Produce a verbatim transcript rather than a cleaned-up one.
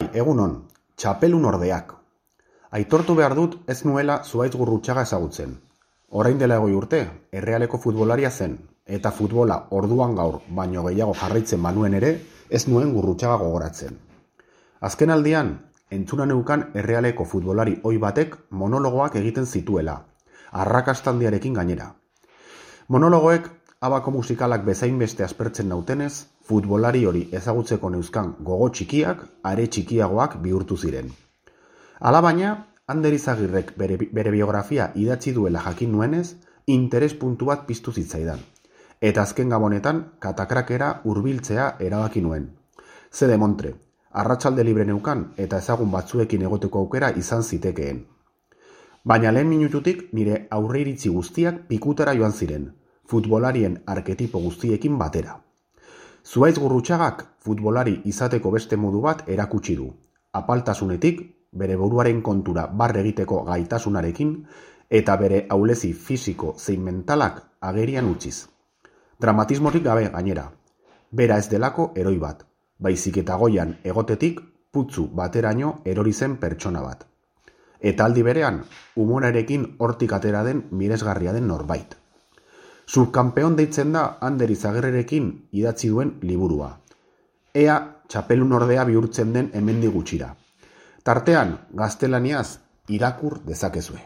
Bai, egunon, txapelun ordeak. Aitortu behar dut ez nuela Zuhaitz Gurrutxaga ezagutzen. Orain dela egoi urte, Errealeko futbolaria zen, eta futbola orduan gaur baino gehiago jarraitzen banuen ere, ez nuen Gurrutxaga gogoratzen. Azken aldian, entzuna neukan Errealeko futbolari ohi batek monologoak egiten zituela, arrakastandiarekin gainera. Monologoek abako musikalak bezain beste aspertzen nautenez, futbolari hori ezagutzeko neuzkan gogo txikiak, are txikiagoak bihurtu ziren. Alabaina, Ander Izagirrek bere, bere biografia idatzi duela jakin nuenez, interes puntu bat piztu zitzaidan. Eta azken gabonetan, katakrakera hurbiltzea erabaki nuen. Ze demontre, arratsalde libre neukan eta ezagun batzuekin egoteko aukera izan zitekeen. Baina lehen minututik nire aurreiritzi guztiak pikutara joan ziren, futbolarien arketipo guztiekin batera. Zuhaitz Gurrutxagak futbolari izateko beste modu bat erakutsi du, apaltasunetik, bere buruaren kontura barre egiteko gaitasunarekin eta bere ahulezi fisiko zein mentalak agerian utziz. Dramatismorik gabe gainera, bera ez delako eroi bat, baizik eta goian egotetik putzu bateraino erori zen pertsona bat. Eta aldi berean, humorarekin hortik atera den miresgarria den norbait. Subkampeon deitzen da Ander Izagirrerekin idatzi duen liburua. Ea txapelun ordea bihurtzen den hemendik gutxira. Tartean, gaztelaniaz irakur dezakezue.